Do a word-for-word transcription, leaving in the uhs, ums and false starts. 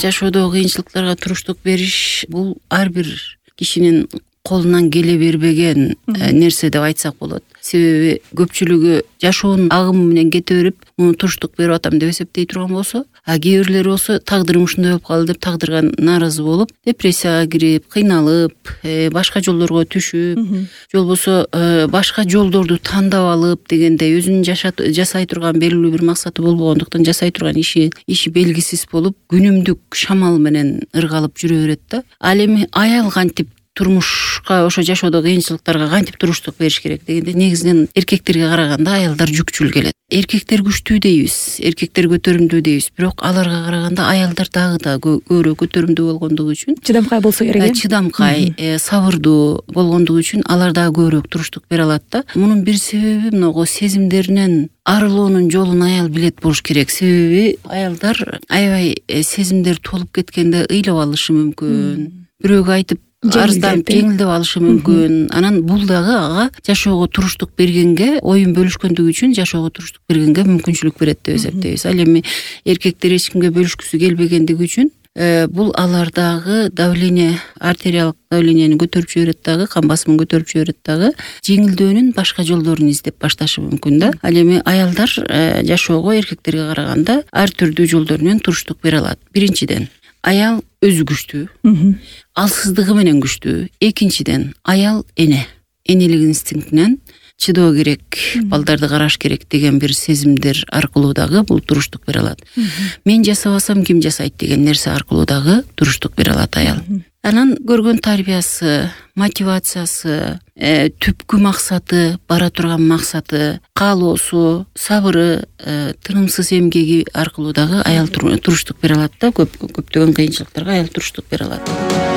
жашоодогу кыйынчылыктарга туруштук бериш бул ар бир кишинин колунан келе бербеген нерсе деп айтсак болот. Себеби көпчүлүгү жашоонун агымы менен кете берип, муну туруштук берип атам деп эсептей турган болсо, а кээ бирлери болсо тагдырым ушундай болуп калды деп тагдырга нааразы болуп, депрессияга кирип, кыйналып, башка жолдорго түшүп, же болбосо башка жолдорду тандап алып дегендей өзүнүн жасай турган белгилүү бир максаты болбогондуктан жасай турган иши иши белгисиз болуп, күнүмдүк шамал менен ыргалып жүрө берет да. Ал эми аял кантип турмушка, ошо жашоодогу кыйынчылыктарга кантип туруштук бериш керек дегенде, негизинен эркектерге караганда аялдар жүкчүл келет. Эркектер күчтүү дейбиз, эркектер көтөрүмдүү дейбиз, бирок аларга караганда аялдар дагы да көбүрөөк көтөрүмдүү болгондугу үчүн, чыдамкай болсо керек, чыдамкай, сабырдуу болгондугу үчүн алар дагы көбүрөөк туруштук бере алат да. Мунун бир себеби могу сезимдеринен арылоонун жолун аял билет болуш керек. Себеби аялдар аябай сезимдер толуп кеткенде ыйлап алышы мүмкүн, бирөөгө айтып арызданып жеңилдеп алышы мүмкүн. Анан бул дагы ага жашоого туруштук бергенге, оюн бөлүшкөндүгү үчүн жашоого туруштук бергенге мүмкүнчүлүк берет деп эсептейбиз. Ал эми эркектер эч кимге бөлүшкүсү келбегендиги үчүн бул алардагы давление, артериалдык давлениени көтөрүп жиберет дагы, кан басымын көтөрүп жиберет дагы, жеңилдөөнүн башка жолдорун издеп башташы мүмкүн да. Ал эми аялдар жашоого эркектерге караганда ар түрдүү жолдор менен туруштук бере алат. Биринчиден, аял өзү күчтүү, алсыздыгы менен күчтүү. Экинчиден, аял эне, энелик инстинктинен чыдоо керек, балдарды караш керек деген бир сезимдер аркылуу дагы бул туруштук бере алат. Мен жасабасам ким жасайт деген нерсе аркылуу дагы туруштук бере алат аял. Анан көргөн тарбиясы, мотивациясы, түпкү максаты, бара турган максаты, каалоосу, сабыры, тынымсыз эмгеги аркылуу дагы аял туруштук бере алат да. Көп көптөгөн кыйынчылыктарга аял туруштук бере алат.